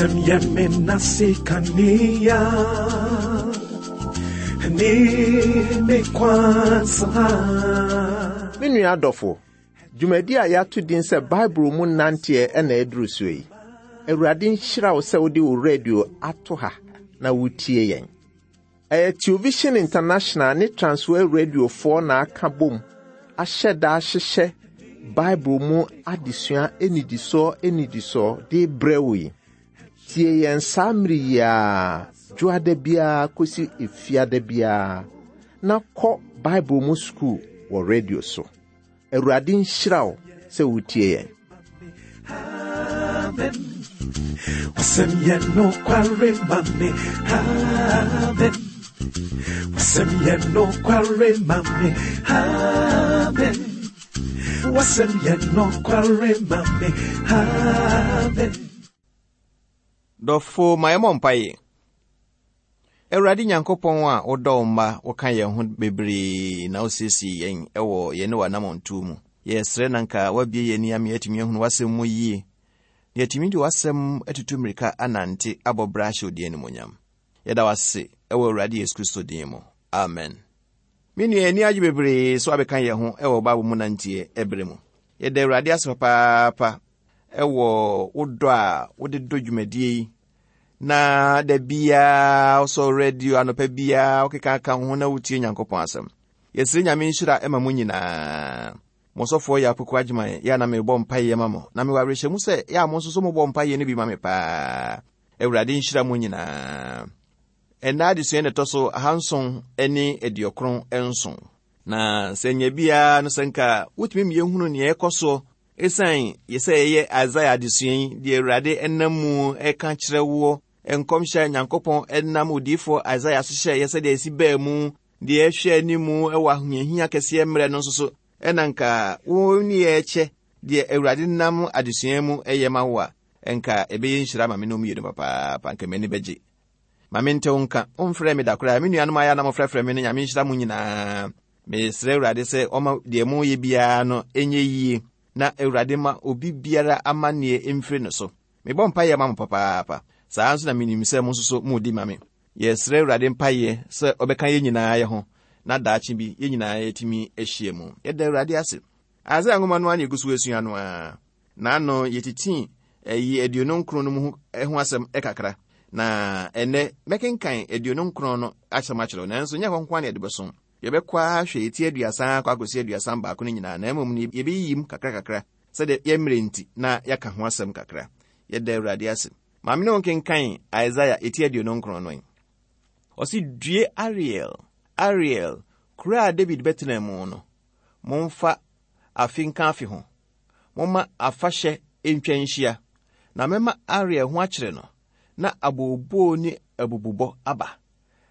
Wasɛm yɛ me nase kanea ne me kwan saa. Me nua adɔfo, dwumadi a yɛato din sɛ Bible mu nanteɛ na aduru so yi. Awurade nhyira wo sɛ wode wo radio ato ha na wotie yɛn. Ɛyɛ Television International ne Transworld Radiofoɔ na aka bom ahyɛ da ahyehyɛ Bible mu adesua nnidisoɔ nnidisoɔ de brɛ wo yi. Tie yɛn saa mmere yi ara, dwoada biara kɔsi efiada biara, na kɔ Bible mu sukuu wɔ radio so. Awurade nhyira wo sɛ wotie yɛn. Amen. Wasɛm yɛ nokware ma me. Amen. Wasɛm yɛ nokware ma me. Amen. Wasɛm yɛ nokware ma me. Amen. Dɔfo, ma yɛmmɔ mpaeɛ. Awurade Nyankopɔn a wodɔ wo mma, woka yɛn ho bebree na wosiesie yɛn wɔ yɛne w'anammɔntuo mu. Yɛsrɛ na nka woabue yɛn ani ama yɛatumi ahunu w'asɛm mu yie, na yɛatumi de w'asɛm atutu mmirika anante abɔ bra ahyɛ wo din animuonyam. Yɛda wo ase wɔ Awurade Yesu Kristo din mu. Amen. Me nua, yɛn ani agye bebree sɛ woabɛka yɛn ho wɔ Bible mu nanteɛ ɛberɛ mu. Yɛda Awurade ase papaapa wɔ wo dɔ a wode dɔ dwumadie yi na da biara wosɔ radio anɔpa biara wokeka ka ho na wotie Nyankopɔn asɛm. Yɛsrɛ Nyame nhyira ma mo nyinaa. Mo sɔfoɔ yɛ Apoku Agyeman, yɛ a na mebɔ mpaeɛ ma mo, na mewɔ awerɛhyɛmu sɛ yɛ a mo nso so mobɔ mpaeɛ no bi ma me paa. Awurade nhyira mo nyinaa. Ɛnnɛ adesua na ɛtɔ so 797. Na sɛ nya biara no sɛ nka wotumi ma yɛhunu nea ɛkɔ soɔ Esiane yɛ sɛ yɛyɛ Isaiah adesua yi, deɛ Awurade nam mu reka kyerɛ woɔ, nkɔmhyɛ a Nyankopɔn nam odiyifoɔ Isaiah so hyɛeɛ sɛdeɛ ɛsi baa mu, deɛ ɛhwɛ anim wɔ ahohiahia kɛseɛ mmerɛ no nso so, ɛna nka wo ne yɛ kyɛ deɛ Awurade nam adesua mu yɛ ma wo a, nka ɛbɛyɛ nhyira ma me ne wo mmienu papaapa, nka m'ani bɛgye. Ma mente wo nka, womfrɛɛ me da koraa, me nuanom ayɛ a na mofrɛfrɛ me no, Nyame nhyira mo nyinaa. Mesrɛ Awurade sɛ ɔma deɛ moyɛ biara no nyɛ yie na Awurade ma obi biara amanneɛ mfiri no so. Mebɔ mpaeɛ ma mo papaapa. Saa ara nso na menim sɛ mo nso so modi ma me. Yɛsrɛ Awurade mpaeɛ sɛ ɔbɛka yɛn nyinaa yɛ ho na daakye bi yɛn nyinaa yɛatumi ahyia mu. Yɛda Awurade ase. Isaiah nwoma no ara na yɛgu so asua no ara. N'ano yɛtitii ɛyi 29 no mu ho asɛm kakra. Na ɛnnɛ mɛkenkan 29 no asɛm akyerɛ wo, nanso nyɛ hɔ nko ara na yɛde bɛso. Yɛbɛkɔ ara ahwɛ eti 30 akɔ akɔsi 31 no nyinaa, na mmom no yɛbɛyiyi mu kakrakakra sɛdeɛ yɛn mmerɛ nti na yɛaka ho asɛm kakra. Yɛda Awurade ase. Ma me ne wo nkenkan Isaiah eti 29 no. Ɔse, Due Ariel, Ariel, kuro a David bɛtenaa mu no. Momfa afe nka afe ho. Momma afahyɛ ntwa nhyia, na mɛma Ariel ho akyere no, na abooboo ne abububɔ aba,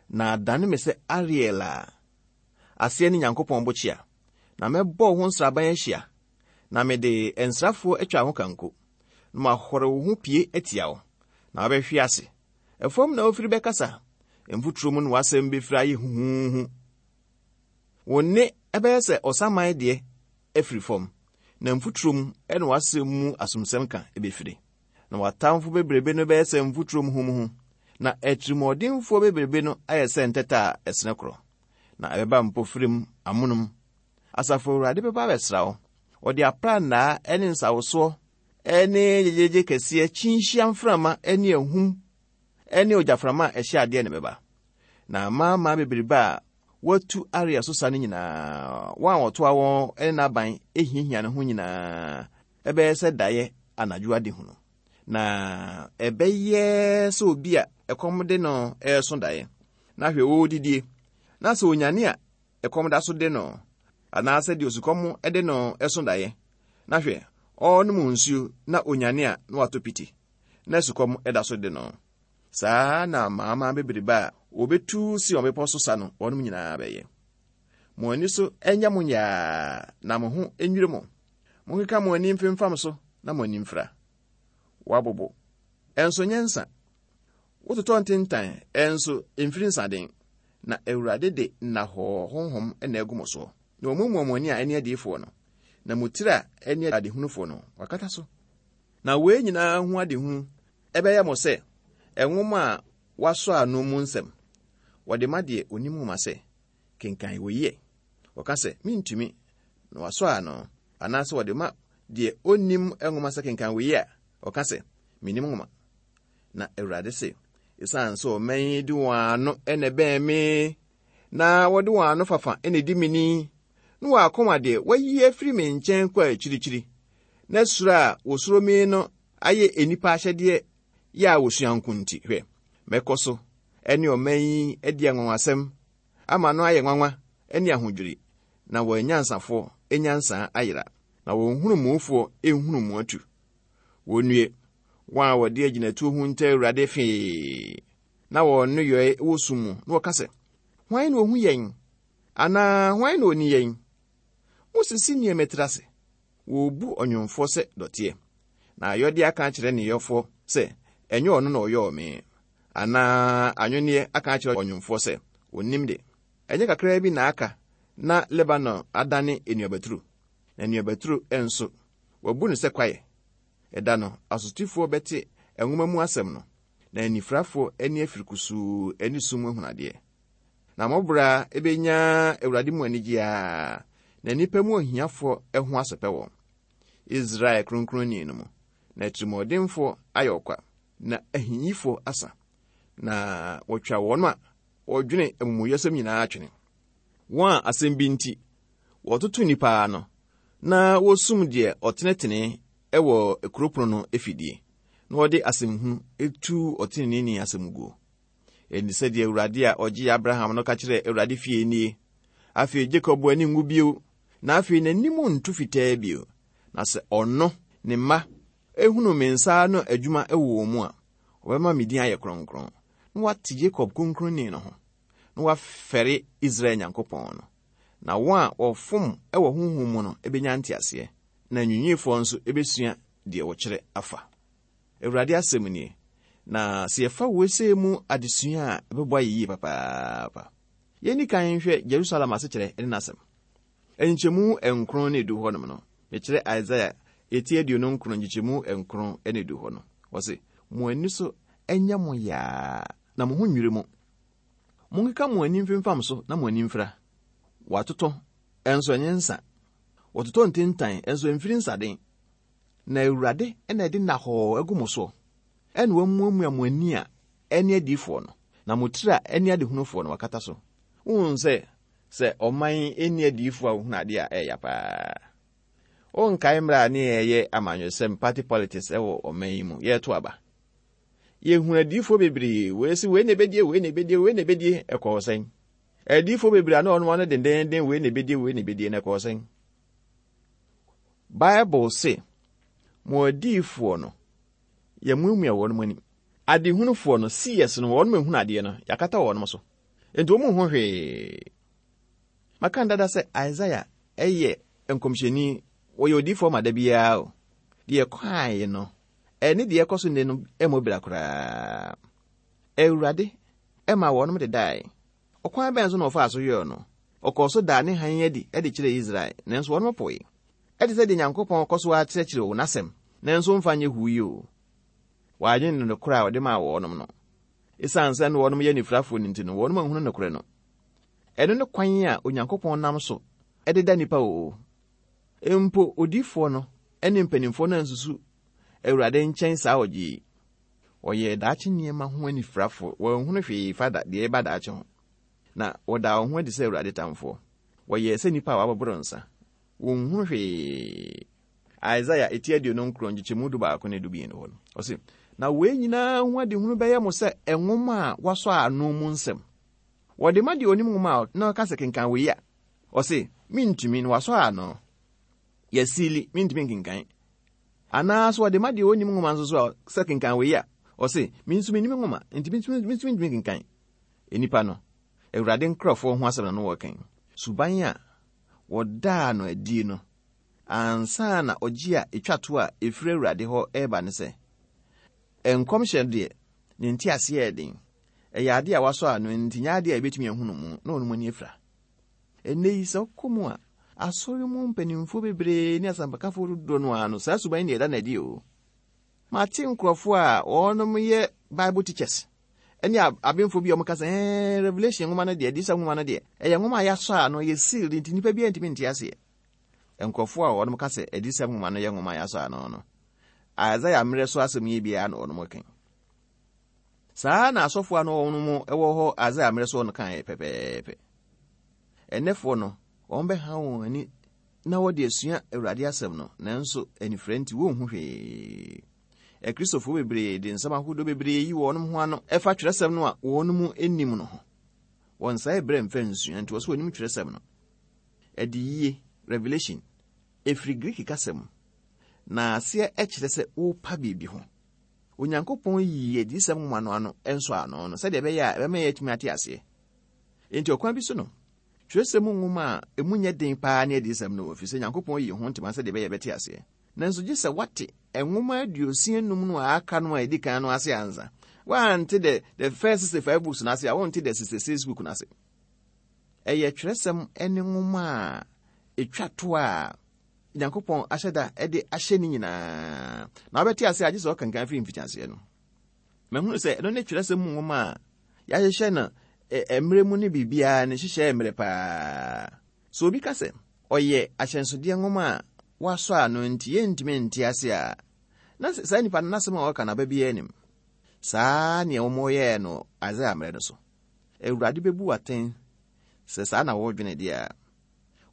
na adane me sɛ Ariel a aseɛ ne Nyankopɔn bokyea, na mɛbɔ wo ho nsraban ahyia, na mede nsrafoɔ atwa ho kanko, na mahɔre wo ho pie atia wo, na wobɛhwe ase. Ɛfam na wofiri bɛkasa, mfuturo mu na w'asɛm bɛfiri ayɛ huhuuhu. Wo nne bɛyɛ sɛ ɔsaman deɛ afiri fam, na mfuturo mu na w'asɛm mu asomsɛm ka bɛfiri. Na w'atamfo bebrebe no bɛyɛ sɛ mfuturo muhumuhu, na atirimuɔdenfoɔ bebrebe no ayɛ sɛ ntɛtɛ a ɛsene korɔ, na ɛbɛba mpofirim amonom. Asafo Awurade bɛba abɛsra wo. Ɔde aprannaa ne nsawosoɔ ne gyegyeegye kɛseɛ, kyinhyia mframa ne ahum ne ogyaframa a ɛhyɛ adeɛ na ɛbɛba. Na amanaman bebrebe a wɔatu Ariel so sa no nyinaa, wɔn a wɔtoa wɔn ne n'aban hiahia ne ho nyinaa, ɛbɛyɛ sɛ daeɛ anadwo adehunu. Na ɛbɛyɛ sɛ obi a ɛkɔm de no reso daeɛ, na hwɛ ɔredidie, na sɛ onyane a ɛkɔm da so de no, anaasɛ deɛ osukɔm de no so daeɛ, na hwɛ ɔrenom nsuo na onyane a na watɔ piti, na sukɔm da so de no. Saa ara na amanaman bebrebe a wɔbɛtu Sion bepɔ so sa no, wɔnom nyinaa bɛyɛ. Mo ani so nyɛ mo nyaa na mo ho nnwiri mo. Monkeka mo ani mfemfam so na mo ani mfira. Woabobo, nso nyɛ nsa. Wototɔ ntentan, nso mfiri nsaden. Na Awurade de nnahɔɔ honhom na agu mo soɔ, na wamuamua mo ani a ɛne adiyifoɔ no, na mo tiri a ɛne adehunufoɔ no, wakata so. Na wei nyinaa ho adehunu. Ɛbɛyɛ mo sɛ nwoma a wɔasɔ ano mu nsɛm. Wɔde ma deɛ ɔnim nwoma sɛ, Kenkan wei ɛ. Ɔka sɛ, Mentumi, na wasɔ ano. Anaasɛ wɔde ma deɛ ɔnnim nwoma sɛ kenkan wei a, ɔka sɛ, Mennim nwoma. Na Awurade se, Esiane sɛ ɔman yi de wɔn ano na ɛbɛn me, na wɔde wɔn ano fafa na edi me ni, na wɔn akoma deɛ wɔayi afiri me nkyɛn kɔ akyirikyiri, na suro a wɔsuro me no ayɛ nnipa ahyɛdeɛ yɛ a wɔsua nko nti, hwɛ, mɛkɔ so ne ɔman yi adi anwanwasɛm ama no ayɛ nwanwa ne ahodwiri, na wɔn anyansafoɔ nyansa ayera, na wɔn nhunumufoɔ nhunumu atu. Wɔnnue, wɔn a wɔde agyinatuo hunta Awurade fee, na wɔn nneyɔe wɔ sum mu, na wɔka sɛ, Hwan na ohu yɛn? Anaa hwan na oni yɛn? Mosisi nneɛma tiri ase. Wɔrebu ɔnwomfoɔ sɛ dɔteɛ, na ayɔdeɛ aka akyerɛ ne yɔfoɔ sɛ, Ɛnyɛ ɔno na ɔyɔɔ me. Anaa anwenneɛ aka akyerɛ ɔnwomfoɔ sɛ, Ɔnnim de. Ɛnyɛ kakraa bi na aka na Lebanon adane nnuabaturo, na nnuabaturo nso, wɔabu no sɛ kwaeɛ. Ɛda no, asotifoɔ bɛte nwoma mu asɛm no, na anifirafoɔ ani afiri kusuu ne sum ahunu adeɛ. Na mo bra bɛnya Awurade mu anigyeɛ ara, na nnipa mu ahiafoɔ ho asɛpɛ wɔn. Israel Kronkronni no mu, na atirimuɔdenfoɔ ayɛ ɔkwa, na ahiyifoɔ asa, na wɔtwa wɔn a wɔdwene amumuyɛsɛm nyinaa twene. Wɔn a asɛm bi nti wɔtoto nnipa ano, na wosum deɛ ɔtenetene wɔ kuro pono no afidie, na wɔde asɛmhunu tu ɔteneneeni asɛm guo. Enti sɛdeɛ Awurade a ɔgyee Abraham no ka kyerɛɛ Awurade fie nie, Afei Jakob ani nwu bio, na afei n'anim nto fitaa bio, na sɛ ɔno, ne mma, ehunu me nsa ano adwuma wɔ wɔn mu a, wɔbɛma me din ayɛ kronkron, na wɔate Yakob Kronkronni no ho, na wɔafɛre Israel Nyankopɔn no. Na wɔn a wɔfom wɔ honhom mu no benya nteaseɛ, na anwiinwiifoɔ nso besua deɛ wɔkyerɛ afa. Awurade asɛm nie. Na sɛ yɛfa wei sei mu adesua a, ɛbɛboa yɛ yie papaapa. Yɛnni kan nhwɛ Jerusalem asekyerɛ ne n'asɛm. Nkyɛmu nkron ne edu hɔnom no, mekyerɛ Isaiah eti 29 nkyekyɛmu nkron ne edu hɔ no, ɔse, Mo ani so nyɛ mo yaa, na mo ho nnwiri mo. Monkeka mo ani mfemfam so na mo ani mfira. Wɔatotɔ, nso ɛnyɛ nsa. Wɔtotɔ ntintan, nso ɛmfiri nsaden. Na Awurade na ɛde nnahɔɔ agu mo soɔ, ɛna wamuamua mo ani a ɛne adiyifoɔ no, na mo tiri a ɛne adehunufoɔ no wakata so. Wohunu sɛ, sɛ ɔman nni adiyifoɔ a wɔhunu adeɛ a, ɛyɛ ya paa. Wonkae mmerɛ a ne yɛyɛ amanyɔsɛm, party politics, wɔ ɔman yi mu, yɛreto aba. Yɛhunu adiyifoɔ bebree, wei se wei na ɛbɛdie, wei na ɛbɛdie, wei na ɛbɛdie, ɛkɔɔ sɛn? Adiyifoɔ bebree a na wɔn ano dendeenden, wei na ɛbɛdie, wei na ɛbɛdie, na ɛkɔɔ sɛn? Bible se, Mo adiyifoɔ no, yɛamuamua wɔn ani. Adehunufoɔ no, seers no, wɔn ehunu adeɛ no, yɛakata wɔn so. Enti wɔn nhu hwee. Maka dada sɛ Isaiah yɛ nkɔmhyɛni, wɔyɛ odiyifoɔ ma da biara o. Deɛ ɛkɔaeɛ no, ɛne deɛ ɛkɔ so nnɛ no mmɔ bira koraa. Awurade ma wɔnom dedae. Ɔkwan bɛn so na ɔfaa so yɔɔ no? Ɔkɔɔ so daa ne hann adi de kyerɛɛ Israel, nanso wɔnom poe. Ɛte sɛ deɛ Nyankopɔn kɔ so ara kyerɛkyerɛ wo N'asɛm, nanso womfa nyɛ huu yi o. Wɔannye no nokorɛ a ɔde maa wɔnom no. Esiane sɛ na wɔnom yɛ anifirafoɔ no nti no, wɔnom anhunu nokorɛ no. Ɛno ne kwan a Onyankopɔn nam so de da nnipa o. Mpo odiyifoɔ no ne mpanimfoɔ no ansusu Awurade nkyɛn saa ɔgye yi. Wɔyɛɛ daakye nneɛma ho anifirafoɔ, wɔanhunu hwee fa da deɛ ɛreba daakye ho. Na wɔdaa wɔn ho adi sɛ Awurade tamfoɔ. Wɔyɛɛ sɛ nnipa a wɔaboboro nsa. Wɔnhunu hwee. Isaiah eti 29 nkyekyɛmu 11 ne 12 hɔ no, ɔse, Na wei nyinaa ho adehunu bɛyɛ mo sɛ nwoma a wɔasɔ ano mu nsɛm. Wɔde ma deɛ ɔnim nwoma a na ɔka sɛ kenkan wei a, ɔse, Mentumi, na wɔasɔ ano. Yɛasiili, mentumi nkenkan. Anaa so wɔde ma deɛ ɔnnim nwoma nso so a sɛ kenkan wei a, ɔse, Me nso mennim nwoma, enti me nso mentumi nkenkan. Nnipa no, Awurade nkurɔfoɔ ho asɛm na no wɔreka yi. Suban a wɔdaa no adie no ansa na ɔgye a ɛtwa to a ɛfiri Awurade hɔ reba ne sɛ, nkɔmhyɛ deɛ, ne nteaseɛ yɛ den. Ɛyɛ adeɛ a wɔasɔ ano, enti nyɛ adeɛ a yɛbɛtumi ahunu mu na wɔn ani afira. Ɛnnɛ yi, sɛ wokɔ mu a, asɔre mu mpanimfoɔ bebree ne asɛmpakafoɔ dodoɔ no ara no, saa suban yi na ɛda no adi o. Mate nkurɔfoɔ a wɔnom yɛ Bible teachers ne abenfoɔ bi a wɔka sɛ ɛɛ Revelation nwoma no deɛ, Adiyisɛm nwoma no deɛ, ɛyɛ nwoma a yɛasɔ ano, ɛyɛ sealed nti nnipa biara ntumi nte aseɛ. Nkurɔfoɔ a wɔnom ka sɛ Adiyisɛm nwoma no yɛ nwoma a yɛasɔ ano no, Isaiah mmerɛ so asɛm yi biara na wɔnom ka. Saa na asɔfoɔ a na wɔnom wɔ hɔ Isaiah mmerɛ so no kaeɛ pɛpɛɛpɛ. Ɛnnɛfoɔ no, wɔn bɛha wɔn ani na wɔde asua Awurade asɛm no, nanso anifira nti wɔnhu hwee. Akristofoɔ bebree de nsɛm ahodoɔ bebree yi wɔn ho ano ɛfa twerɛsɛm no a wɔn mu nnim no ho. Wɔnsae berɛ mfa nsua nti wɔ sɛ wɔnim twerɛsɛm no. Adiyie, Revelation, ɛfiri Greek kasa mu, na aseɛ kyerɛ sɛ wopa biribi ho. Onyankopɔn yii adiyisɛm nwoma no ano nsɔ ano no sɛdeɛ ɛbɛyɛ a ɛbɛma yɛatumi ate aseɛ. Enti ɔkwan bi so no, twerɛsɛm mu nwoma a emu nyɛ den paa ne adiyisɛm no wɔ, ɛfiri sɛ Nyankopɔn yii ho ntoma sɛdeɛ ɛbɛyɛ yɛbɛte aseɛ. Nanso gye sɛ woate nwoma 65 no a aka no a edi kan no ase ansa. Woante the, the first 65 books no ase a, wonte the 66 book no ase. Ɛyɛ twerɛsɛm ne nwoma a etwa to a Nyankopɔn ahyɛ da de ahyɛ ne nyinaa. Na wobɛte ase a gye sɛ ɔkenkan firi mfitiaseɛ no. Mahunu sɛ ɛno ne twerɛsɛm mu nwoma a yɛahyehyɛ no mmerɛ mu ne biribiara ne nhyehyɛɛ mmerɛ paa. Sɛ obi ka sɛ ɔyɛ ahyɛnsodeɛ nwoma a wɔasɔ ano nti yɛntumi nte ase a, na saa nipa no n'asɛm a ɔka no aba biara nnim. Saa nea wɔyɛɛ no Isaiah mmerɛ no so. Awurade bɛbu wo atɛn sɛ saa na wodwene deɛ a.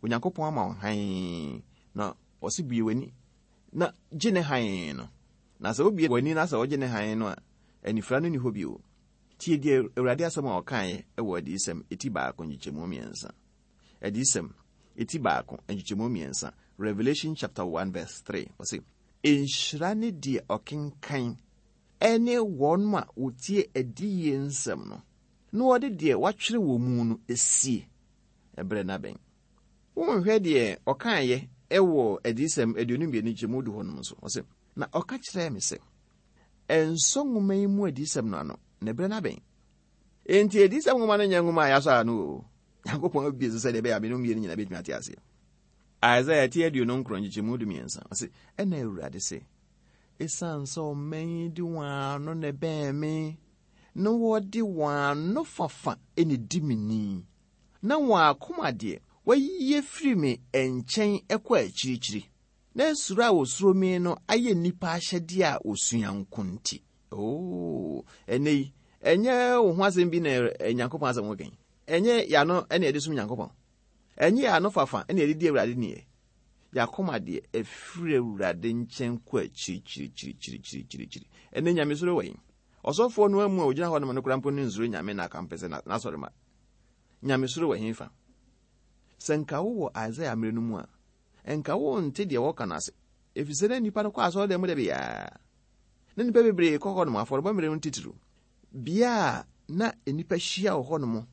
Onyankopɔn ama wo hann na ɔse bue w'ani na gye ne hann no. Na sɛ wobue w'ani na sɛ wogye ne hann no a, anifira no nni hɔ bio. Tie deɛ Awurade asɛm a ɔkaeɛ wɔ Adiyisɛm eti baako nkyekyɛmu mmiɛnsa. Adiyisɛm eti baako nkyekyɛmu mmiɛnsa, Revelation chapter 1 verse 3, ɔse, Nhyira ne deɛ ɔkenkan ne wɔn a wɔtie adiyie nsɛm no, na wɔde deɛ wɔatwerɛ wɔ mu no sie. Ɛberɛ no abɛn. Wonhwɛ deɛ ɔkaeɛ wɔ Adiyisɛm 22 nkyekyɛmu du hɔ nom nso, ɔse, Na ɔka kyerɛɛ me sɛ, Nsɔ nwoma yi mu adiyisɛm no ano, na ɛberɛ no abɛn. Enti adiyisɛm nwoma no nyɛ nwoma a yɛasɔ ano o. Nyankopɔn abue so sɛdeɛ ɛbɛyɛ a me ne wo mmienu nyinaa bɛtumi ate aseɛ. Isaiah ti 29 nkyekyɛmu 13, ɔse, Ɛna Awurade se, Esiane sɛ ɔman yi de wɔn ano na ɛbɛn me, na wɔde wɔn ano fafa na ɛdi me ni, na wɔn akoma deɛ, wɔayi afiri me nkyɛn kɔ akyirikyiri, na suro a wɔsuro me no ayɛ nnipa ahyɛdeɛ a wɔsua nko nti. Oo, ɛnnɛ yi, ɛnyɛ wo ho asɛm bi na Nyankopɔn asɛm ho kɛn. Ɛnyɛ yɛano na yɛde som Nyankopɔn. Ɛnyɛ yɛano fafa na yɛde di Awurade ni ɛ. Yɛakoma deɛ, ɛfiri Awurade nkyɛn kɔ akyirikyirikyirikyirikyirikyiri. Ɛnnɛ nyamesuro wɔ he? Ɔsɔfoɔ no amu a ɔgyina hɔ nom no koraa mpo no nsuro Nyame na akampɛ sɛ n'asɔre ma. Nyamesuro wɔ he fa? Sɛ nka wowɔ Isaiah mmerɛ no mu a, nka wonte deɛ wɔka no ase, ɛfiri sɛ na nnipa no kɔ asɔredan mu da biara. Na nnipa bebree kɔ hɔnom afɔrebɔ mmerɛ no titiriw. Bea a na nnipa hyia wɔ hɔnom,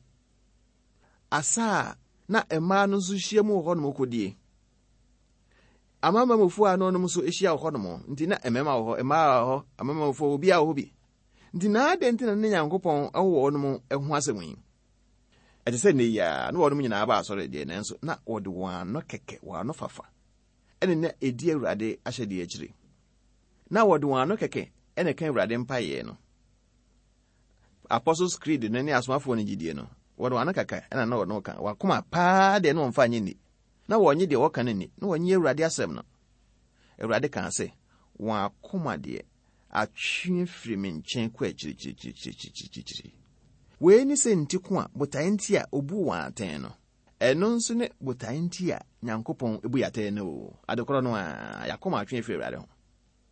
asa a na mmaa no nso hyia mu wɔ hɔnom kɔdie. Amanamanmufoɔ a na wɔnom nso hyia wɔ hɔnom, nti na mmarima wɔ hɔ, mmaa wɔ hɔ, amanamanmufoɔ obiara wɔ hɔ bi. Nti na adɛn nti na ne Nyankopɔn wɔ wɔnom ho asɛm yi? Ɛte sɛ nnɛ yi ara, na wɔnom nyinaa ba asɔre deɛ, nanso na wɔde wɔn ano kɛkɛ, wɔn ano fafa, ɛne na ɛdi Awurade ahyɛdeɛ akyire. Na wɔde wɔn ano kɛkɛ ɛna ɛka Awurade mpaeɛ no. Apostles Creed no ne asomafoɔ no gyidie no, wɔde wɔn ano kɛkɛ ɛna na wɔn ka. Wɔn akoma paa deɛ na wɔmfa nye nni. Na wɔnye deɛ wɔka no nni. Na wɔnye Awurade asɛm no. Awurade kaa sɛ, wɔn akoma deɛ atwe afiri me nkyɛn kɔ akyirikyirikyirikyirikyirikyiri. Wei ne sɛ nti ko a botae nti a obuu wɔn atɛn no. Ɛno nso ne botae nti a Nyankopɔn bu yɛn atɛn no o. Ade korɔ no ara, yɛakoma atwe afiri Awurade ho.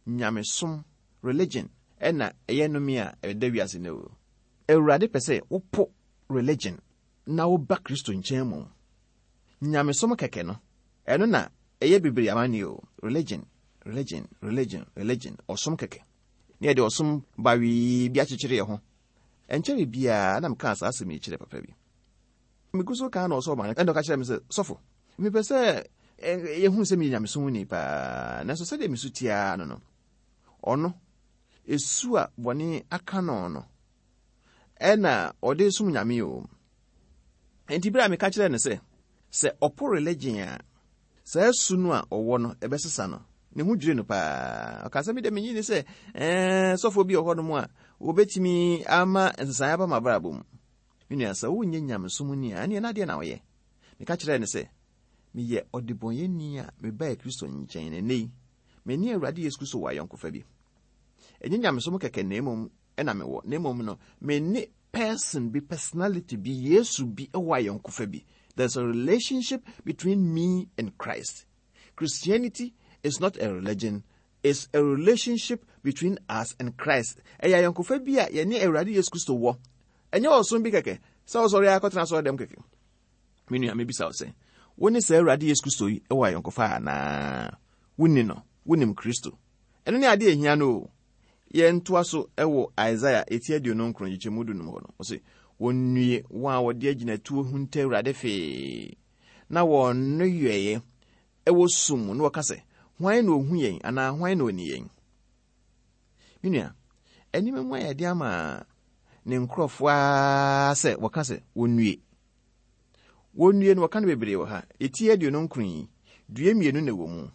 Nyamesom, religion, na ɛyɛ nnome a ɛda wiase nnɛ o. Awurade pɛ sɛ wopo religion na woba Kristo nkyɛn mmom. Nyamesom kɛkɛ no, ɛno na ɛyɛ bebree amanneɛ o. Religion, religion, religion, religion, ɔsom kɛkɛ. Na yɛde ɔsom bawee bi akyekyere yɛn ho. Ɛnkyɛree biara na mekaa saa asɛm yi kyerɛɛ papa bi. Megu so kaa na ɔsɔɔ m'ano ɛna ɔka kyerɛɛ me sɛ, Sɔfo, mepɛ sɛ yɛhu sɛ meyɛ nyamesomni paa, nanso sɛdeɛ mesu te ara no no, ɔno, esu a bɔne aka no no, ɛna ɔde som nyame o. Enti bere a meka kyerɛɛ no sɛ, sɛ ɔpo religion a, saa su no a ɔwɔ no, ɛbɛsesa no. Ne ho dwirii no paa. Ɔkaa sɛ, Me deɛ menye nni sɛ ɛɛ sɔfoɔ bi wɔ hɔnom a wɔbɛtumi ama nsesaeɛ aba m'abrabɔ mu. Me nua, sɛ wonyɛ nyamesom ni a, ɛneɛ na adeɛ na woyɛ. Meka kyerɛɛ no sɛ, meyɛ ɔdebɔnyɛni a mebae Kristo nkyɛn, na ɛnnɛ yi, me ne Awurade Yesu Kristo wɔ ayɔnkofa bi. Ɛnyɛ nyamesom kɛkɛ na mmom na mewɔ, na mmom no, me ne person bi, personality bi, Yesu bi wɔ ayɔnkofa bi. There's a relationship between me and Christ. Christianity is not a religion, it's a relationship between us and Christ. Ɛyɛ ayɔnkofa bi a yɛne Awurade Yesu Kristo wɔ. Ɛnyɛ ɔsom bi kɛkɛ, sɛ wosɔre akɔtena asɔre dɛm kɛkɛ. Me nua, mebisa wo sɛ, wo ne saa Awurade Yesu Kristo yi wɔ ayɔnkofa anaa? Wonni no, wonim Kristo. Ɛno ne adeɛ ehia no o. Yɛntoa so wɔ Isaiah eti 29 nkyekyɛmu 15 hɔ no. Ɔse, wɔnnue wɔn a wɔde agyinatuo hunta Awurade fee, na wɔn nneyɔeɛ wɔ sum mu, na wɔka sɛ, Hwan na ohu yɛn anaa hwan na oni yɛn? Me nua, nneɛma mu ayɛ den ama ne nkurɔfoɔ ara sɛ wɔka sɛ wɔnnue. Wɔnnue no wɔka no bebree wɔ ha. Eti 29 yi, due mmienu na ɛwɔ mu.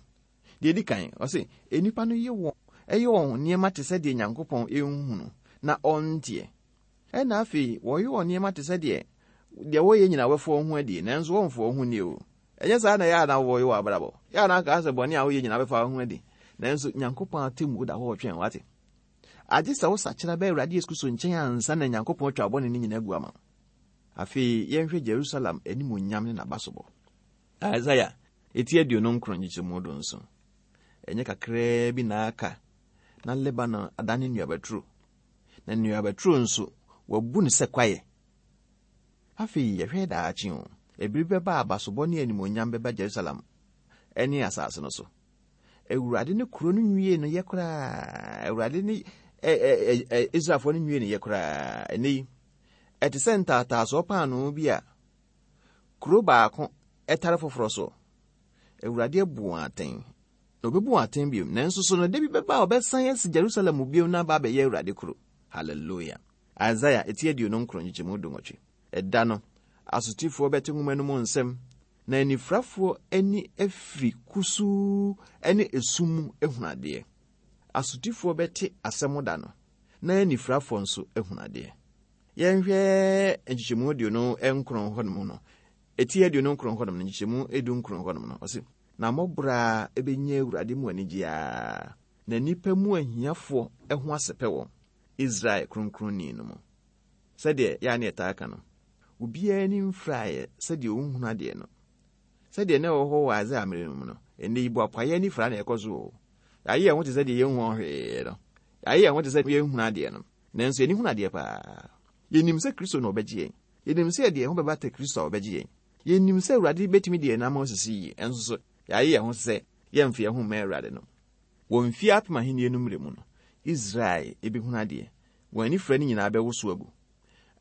Deɛ ɛdi kan, ɔse, nnipa no yɛ wɔn ɛyɛ wɔn nneɛma te sɛ deɛ Nyankopɔn nhunu na ɔnteɛ. Ɛna afei, wɔyɛ wɔn nneɛma te sɛ deɛ deɛ wɔyɛ nyinaa wɔfa wɔn ho adie, nanso wɔmfa wɔn ho nni o. Ɛnyɛ saa na ɛyɛ a na wɔyɛ wɔ abrabɔ. Yɛ a na aka sɛ bɔne a woyɛ nyinaa bɛfa wo ho adi. Nanso Nyankopɔn atemmuo da hɔ ɔtwɛn wate. Agye sɛ wosakyera bɛ Awurade Yesu Kristo nkyɛn ansa na Nyankopɔn atwa wo bɔne no nyinaa agu ama wo. Afei yɛnhwɛ Jerusalem animuonyam ne n'abasobɔ. Isaiah eti 29 nkyekyɛmu 17. Ɛnyɛ kakraa bi na aka na Lebanon adane nnuabaturo, na nnuabaturo nso wɔabu no sɛ kwaeɛ. Afei yɛhwɛ daakye o, ebere bɛba a abasobɔ ne animuonyam bɛba Jerusalem ne asase no so. Awurade ne kuro no nwie no yɛ koraa. Awurade ne Israelfoɔ no nwie no yɛ koraa. Ɛnɛ yi, ɛte sɛ ntaataasoɔ paanoo bi a kuro baako tare foforɔ so. Awurade abu wɔn atɛn, na ɔbɛbu wɔn atɛn bio. Nanso so no, da bi bɛba a ɔbɛsan asi Jerusalem bio na aba abɛyɛ Awurade kuro. Hallelujah. Isaiah eti 29 nkyekyɛmu 18. Ɛda no, asotifoɔ bɛte nwoma no mu nsɛm, na anifirafoɔ ani afiri kusuu ne esum mu ahunu adeɛ. Asotifoɔ bɛte asɛm da no, na anifirafoɔ nso ahunu adeɛ. Yɛnhwɛ nkyekyɛmu 29 hɔnom no, eti 29 hɔnom no, nkyekyɛmu 19 hɔnom no, ɔse, na mmɔborɔ bɛnya Awurade mu anigye ara, na nnipa mu ahiafoɔ ho asɛpɛ wɔn, Israel Kronkronni no mu. Sɛdeɛ yɛa ne yɛtaa ka no, obiara ani mfiraeɛ sɛdeɛ ɔnhunu adeɛ no. Sɛdeɛ na ɛwɔ hɔ wɔ Isaiah mmerɛ no mu no, ɛnnɛ yi boapayɛ ani fira na ɛkɔ so o. Yɛayɛ yɛn ho te sɛ deɛ yɛnhu hwee no. Yɛayɛ yɛn ho te sɛ yɛnhunu adeɛ no. Nanso yɛni hunu adeɛ paa. Yɛnim sɛ Kristo na ɔbɛgye yɛn. Yɛnim sɛ yɛde yɛn ho bɛbata Kristo a ɔbɛgye yɛn. Yɛnim sɛ Awurade bɛtumi de yɛn nam asisi yie. Ɛnso so, yɛayɛ yɛn ho sɛ yɛmfa yɛn ho mma Awurade no. Wɔ mfeɛ apem ahennie no mmerɛ mu no, Israel bɛhunu adeɛ. Wɔn anifira no nyinaa bɛwoso agu.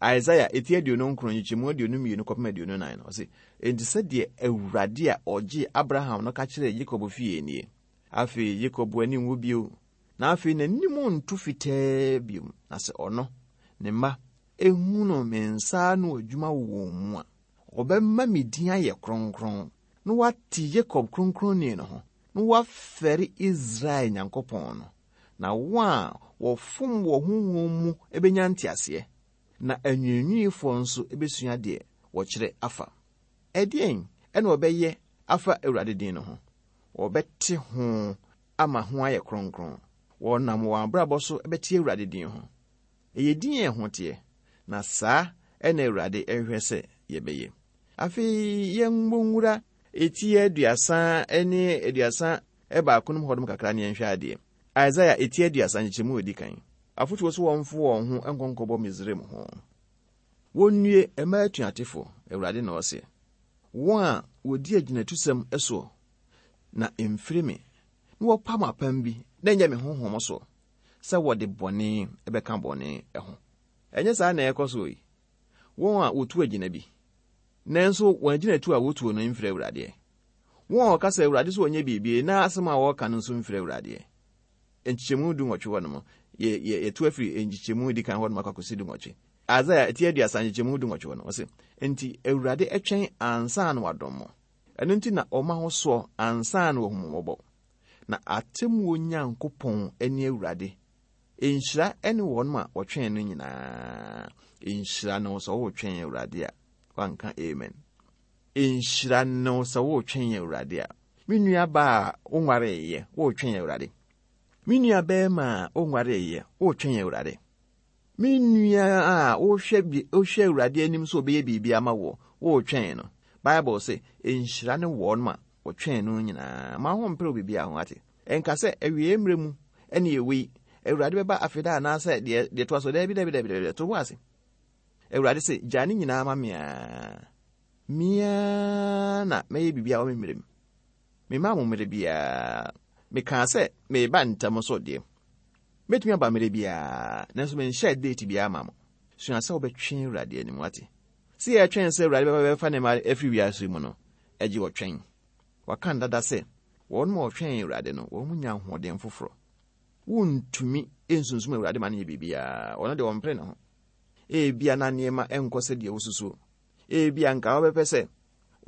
Isaiah eti 29 nkyekyɛmu 22 kɔpem 24 no, ɔse, Enti sɛdeɛ Awurade a ɔgyee Abraham no ka kyerɛɛ Yakob fie nie, Afei Yakob ani nwu bio, na afei n'anim nto fitaa bio, na sɛ ɔno, ne mma, ehunu me nsa ano adwuma wɔ wɔn mu a, ɔbɛma me din ayɛ kronkron, na wate Yakob kronkronni no ho, na wafɛre Israel Nyankopɔn no. Na wɔn a wɔfom wɔ honhom mu benya nteaseɛ, na anwiinwiifoɔ nso bɛsua deɛ wɔkyerɛ afa. Ɛdeɛn na wɔbɛyɛ afa Awurade din no ho? Wɔbɛte ho ama ho ayɛ kronkron. Wɔnam wɔn abrabɔ so bɛte Awurade din ho. Ɛyɛ din a ɛho teɛ, na saa na Awurade hwehwɛ sɛ yɛbɛyɛ. Afei yɛmmɔ nwura eti 30 ne 31 no mu hɔnom kakra ne yɛnhwɛ adeɛ. Isaiah eti 30 nkyekyɛmu a ɛdi kan. Afotuo so wɔmfo wɔn ho nkɔ nkɔbɔ Misraim ho. Wɔnnue mmaa atuatefo, Awurade na ɔse, wɔn a wɔdi agyinatusɛm soɔ na ɛmfiri me, na wɔpam apam bi na ɛnyɛ me honhom soɔ, sɛ wɔde bɔne bɛka bɔne ho. Ɛnyɛ saa na ɛrekɔ so yi. Wɔn a wɔtu agyina bi, nanso wɔn agyinatu a wɔtuo no mfiri Awurade. Wɔn a wɔka sɛ Awurade so wɔnyɛ biribi na asɛm a wɔreka no nso mfiri Awurade. Nkyekyɛmu 18 hɔ nom, yɛ, yɛ, yɛtu afiri nkyekyɛmu di kan hɔ nom akɔ akɔsi 18. Isaiah ti 30 nkyekyɛmu 18 hɔ no, ɔse, Enti Awurade twɛn ansa na wadom mo. Ɛno nti na ɔma ho soɔ ansa na wahu mo mmɔbɔ. Na atemmuo Nyankopɔn ne Awurade. Nhyira ne wɔn a wɔtwɛn no nyinaa. Nhyira ne wo sɛ wotwɛn Awurade a. Wanka amen. Nhyira ne wo sɛ wotwɛn Awurade a. Me nua baa a wonwareeɛ, wotwɛn Awurade. Me nua bɛrima a wonwareeɛ, wotwɛn Awurade. Me nua a wohwɛ bi wohwɛ Awurade anim sɛ ɔbɛyɛ biribi ama wo, wotwɛn no. Bible se, nhyira ne wɔn a wɔtwɛn no nyinaa. Ma ho mpere biribiara ho ate. Ɛnka sɛ awiei mmerɛ mu ɛne ɛwei, Awurade bɛba afeda anaasɛ deɛ deɛ toa so. Daabi, daabi, daabi, daabi, to bo ase. Awurade se, gyaa ne nyinaa ma me ara. Me ara na mɛyɛ biribiara wɔ me mmerɛ mu. Memaa mo mmerɛ biara. Mekaa sɛ mereba ntɛm so deɛ. Mɛtumi aba mmerɛ biara, nanso menhyɛɛ date biara ma mo. Sua sɛ wobɛtwɛn Awurade anim, wate? Sɛ yɛtwɛn sɛ Awurade bɛba bɛfa ne mma afiri wiase yi mu no, ɛgye ɔtwɛn. Wɔaka no dada sɛ, wɔn a wɔtwɛn Awurade no, wɔn nya ahoɔden foforɔ. Wontumi nsunsum Awurade ma no nyɛ biribiara. Ɔno deɛ ɔmpere ne ho. Ebia na nneɛma nkɔ sɛdeɛ wosusuo. Ebia nka wobɛpɛ sɛ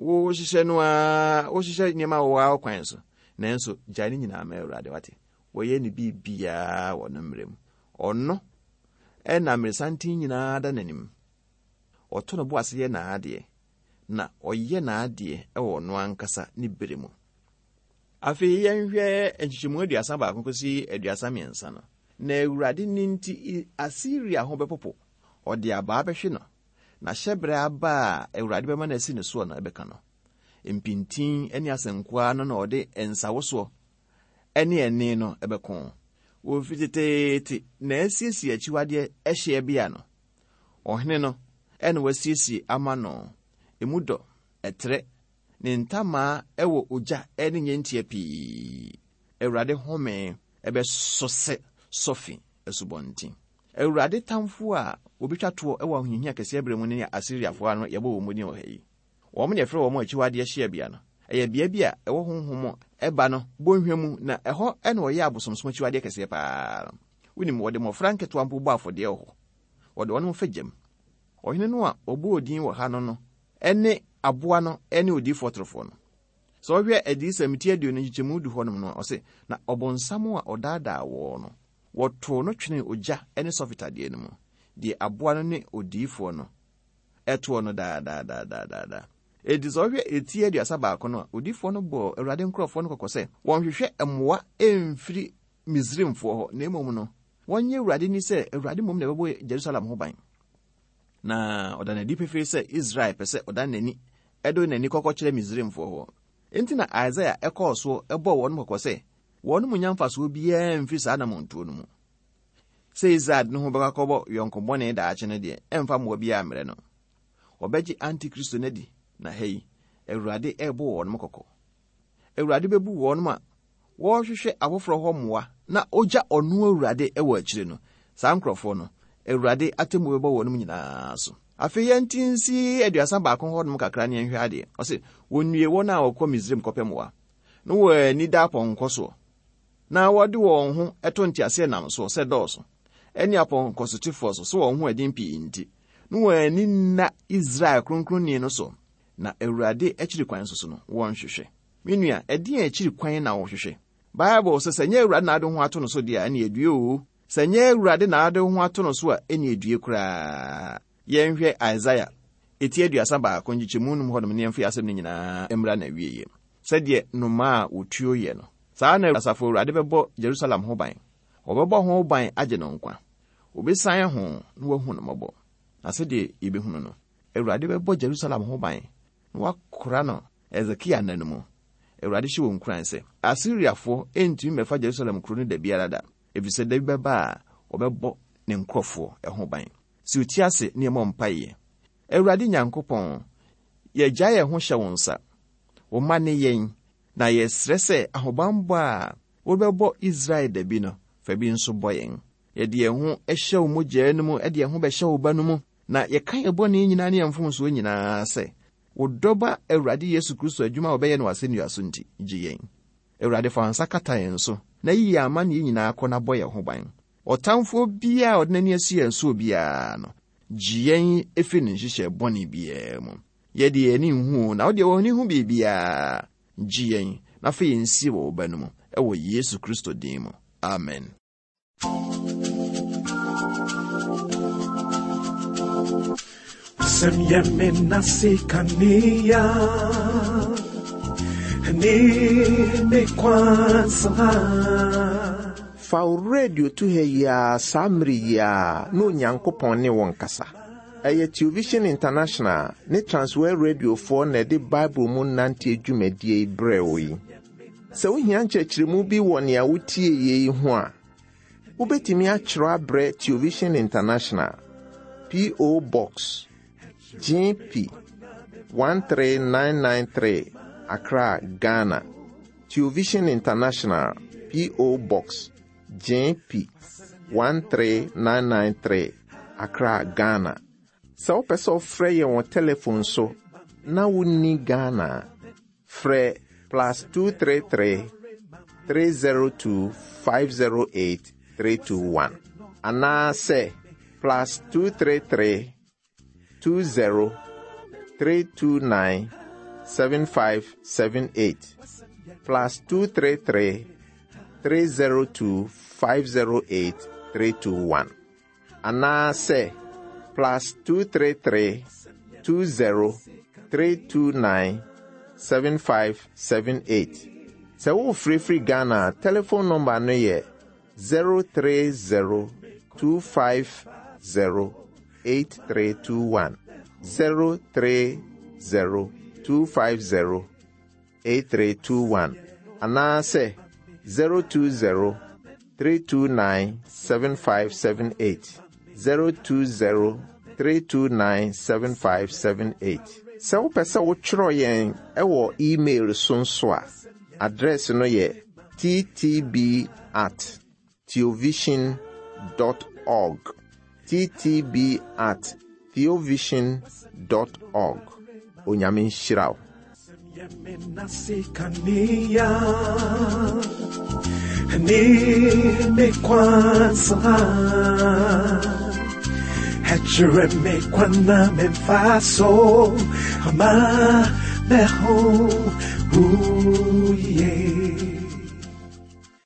wohyehyɛ no ara, wohyehyɛ nneɛma wɔ wo kwan so. Nanso gyae ne nyinaa ma Awurade, wate? Wɔyɛ ne biribiara wɔ ne mmerɛ mu. Ɔno na mmeresanten nyinaa da n'anim. Ɔto ne bo ase yɛ n'adeɛ, na ɔyɛ n'adeɛ wɔ ɔno ankasa ne berɛ mu. Afei yɛnhwɛ nkyekyɛmu 31 kɔsi 33 no. Na Awurade nne nti Asiria ho bɛpopo, ɔde abaa bɛhwe no, na hyɛberɛ aba a Awurade bɛma no asi ne soɔ no bɛka no. Mpintin ne asɛnkoa no na ɔde nsawosoɔ ne ɛnne no bɛko. Wɔfiri teteete na asiesie akyiwadeɛ hyeɛ bea no. Ɔhene no na wasiesie ama no. Emu dɔ, ɛtrɛ, ne ntamaa wɔ ogya ne nnyentia pii. Awurade home bɛsɔ sɛ sɔfe asubɔnten. Awurade tamfo a wɔbɛtwa toɔ wɔ ahohiahia kɛseɛ berɛ mu no ne Asiriafoɔ a no yɛbɔ wɔn din wɔ ha yi. Wɔn na yɛfrɛ wɔn akyiwadeɛ hyeɛbea no. Ɛyɛ bea bi a ɛwɔ honhom ɛba no bɔnhwa mu na ɛhɔ na wɔyɛ abosomsom akyiwadeɛ kɛseɛ paa no. Wonim, wɔde mmɔfra nketewa mpo bɔ afɔdeɛ wɔ hɔ. Wɔde wɔn fa gyam. Ɔhene no a wɔbɔɔ din wɔ ha no no ne aboa no ne odiyifoɔ torofoɔ no. Sɛ wohwɛ Adiyisɛm ti 20 nkyekyɛmu du hɔnom no a, ɔse, Na ɔbonsam a ɔdaadaa wɔn no, wɔtoo no twenee ogya ne sɔfe tadeɛ no mu, deɛ aboa no ne odiyifoɔ no ɛtoɔ no daadaadaadaadaa. Enti sɛ wohwɛ eti 31 no a, odiyifoɔ no bɔɔ Awurade nkurɔfoɔ no kɔkɔ sɛ wɔnhwehwɛ mmoa mfiri Misraimfoɔ hɔ, na mmom no, wɔnyɛ Awurade ni sɛ Awurade mmom na ɛbɛbɔ Jerusalem ho ban. Na ɔda no adi pefee sɛ Israel pɛ sɛ ɔdan n'ani de n'ani kɔkɔ kyerɛ Misraimfoɔ hɔ. Enti na Isaia kɔɔ so bɔɔ wɔn kɔkɔ sɛ wɔn mu nya mfasoɔ biara mfiri saa anammɔntuo no mu. Sɛ Israel de ne ho bɛkɔ akɔbɔ yɔnko bɔne daakye no deɛ, ɛmfa mmoa biara mmrɛ no. Wɔbɛgye Antikristo no adi, na ha yi, Awurade rebɔ wɔn kɔkɔ. Awurade bɛbu wɔn a wɔrehwehwɛ afoforɔ hɔ mmoa na ɔgya ɔno Awurade wɔ akyire no. Saa nkurɔfoɔ no, Awurade atemmuo bɛbɔ wɔn nyinaa so. Afei yɛnte nsi 31 hɔnom kakra ne yɛnhwɛ adeɛ. Ɔse, wɔnnue wɔn a wɔkɔ Misraim kɔpɛ mmoa, na wɔn ani da apɔnkɔ soɔ, na wɔde wɔn ho to nteaseɛnam soɔ sɛ dɔɔso, ne apɔnkɔsotefoɔ so sɛ wɔn ho ɛden pii nti, na wɔn ani nna Israel Kronkronni no so, na Awurade akyiri kwan nso so no, wɔnhwehwɛ. Me nua, ɛdeɛn akyiri kwan na wohwehwɛ? Bible sɛ, sɛ nyɛ Awurade na ade ho ato no so deɛ a, ɛne adue oo. Sɛ nyɛ Awurade na ade ho ato no so a, ɛne adue koraa. Yɛnhwɛ Isaiah eti 31 nkyekyɛmu num hɔnom ne yɛmfa yɛn asɛm no nyinaa mmra n'awieeɛ. Sɛdeɛ nnomaa a wɔtuo yɛ no, saa ara na Asafo Awurade bɛbɔ Yerusalem ho ban. Ɔbɛbɔ ho ban agye no nkwa. Ɔbɛsiane ho na wahu no mmɔbɔ. Na sɛdeɛ yɛbɛhunu no, Awurade bɛbɔ Yerusalem ho ban na wakora no Hesekia nna no mu. Awurade hyɛ wɔn nkuran sɛ, Asiriafoɔ rentumi mmɛfa Yerusalem kuro no da biara da, ɛfiri sɛ da bi bɛba a wɔbɛbɔ ne nkurɔfoɔ ho ban. Si wo ti ase na yɛmmɔ mpaeɛ. Awurade Nyankopɔn, yɛgyae yɛn ho hyɛ wo nsa. Wo mma ne yɛn, na yɛsrɛ sɛ ahobammɔ a wobɛbɔ Israel da bi no, fa bi nso bɔ yɛn. Yɛde yɛn ho hyɛ wo mogya no mu, de yɛn ho bɛhyɛ wo Ba no mu, na yɛka yɛn bɔne nyinaa ne yɛn mfomsoɔ nyinaa sɛ, wo dɔba Awurade Yesu Kristo adwuma a wɔbɛyɛ no wɔ asɛnnua so nti, gye yɛn. Awurade, fa wo nsa kata yɛn so, na yi yɛn amanneɛ nyinaa kɔ na bɔ yɛn ho ban. Ɔtamfoɔ biara a ɔde n'ani asi yɛn soɔ biara no, gye yɛn firi ne nhyehyɛɛ bɔne biara mu. Yɛ deɛ yɛn ani nhu o, na wo deɛ w'ani hu biribiara. Gye yɛn, na fa yɛn sie wɔ wo Ba no mu. Ɛwɔ Yesu Kristo din mu. Amen. Asɛm yɛ me nase kanea ne me kwansa. Fa wo radio to ha yi ara saa mmere yi ara na Onyankopɔn ne wo nkasa. Ɛyɛ Television International ne Transworld Radiofoɔ na ɛde Bible mu nanteɛ dwumadie yi brɛɛ wo yi. Sɛ wohia nkyerɛkyerɛmu bi wɔ nea wotie yi ho a, wobɛtumi akyerɛ abrɛ Television International, P.O. Box, GP 13993, Accra, Ghana. Television International, P.O. Box, GP 13993, Accra, Ghana. Sɛ wopɛ sɛ wofrɛ yɛn wɔ telefon so na wonni Ghana a, frɛ plus 233 302 508 321 anaasɛ plus 233 20 329 7578 plus 233 302 508 321 anaasɛ plus 233 20 329 7578. Sɛ worefrɛfiri Ghana a, telefon nɔmba no yɛ 030 250 8321. 030 250 8321 anaasɛ 020 329 7578. 020 329 7578. Sɛ wopɛ sɛ wotwerɛ yɛn wɔ email so nso a, address no yɛ ttb at theovision dot org. ttb at theovision dot org. Onyame nhyira wo. Ama meho, ooh, yeah.